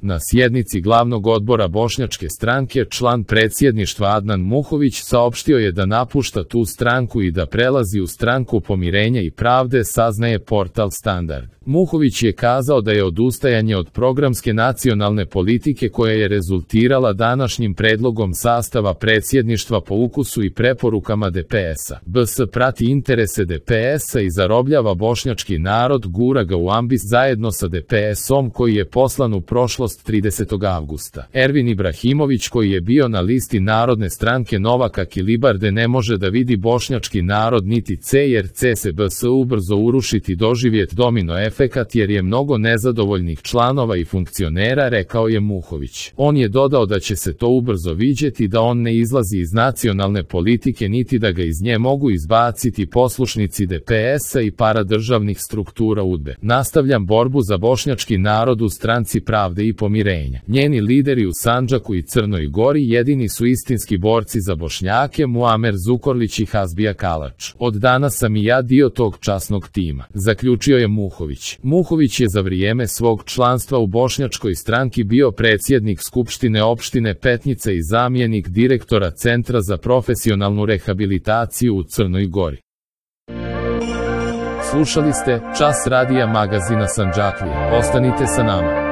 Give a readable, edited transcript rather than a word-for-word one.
Na sjednici glavnog odbora Bošnjačke stranke član predsjedništva Adnan Muhović saopštio je da napušta tu stranku i da prelazi u Stranku pomirenja i pravde, saznaje portal Standard. Muhović je kazao da je odustajanje od programske nacionalne politike koja je rezultirala današnjim predlogom sastava predsjedništva po ukusu i preporukama DPS-a. BS prati interese DPS-a i zarobljava bošnjački narod, gura ga u ambis zajedno sa DPS-om koji je poslan u prošlost 30. avgusta. Ervin Ibrahimović, koji je bio na listi Narodne stranke Novaka Kilibarde, ne može da vidi bošnjački narod niti C, jer C se BS ubrzo urušiti doživjet domino efekat jer je mnogo nezadovoljnih članova i funkcionera, rekao je Muhović. On je dodao da će se to ubrzo viđeti, da on ne izlazi iz nacionalne politike niti da ga iz nje mogu izbaciti poslušnici DPS-a i paradržavnih struktura UDBE. Nastavljam borbu za bošnjački narod u Stranci pravde i pomirenja. Njeni lideri u Sandžaku i Crnoj Gori jedini su istinski borci za Bošnjake, Muamer Zukorlić i Hasbija Kalač. Od danas sam i ja dio tog časnog tima, zaključio je Muhović. Muhović je za vrijeme svog članstva u Bošnjačkoj stranki bio predsjednik Skupštine opštine Petnica i zamjenik direktora Centra za profesionalnu rehabilitaciju u Crnoj Gori. Slušali ste Čas radija magazina Sandžaklija. Ostanite sa nama.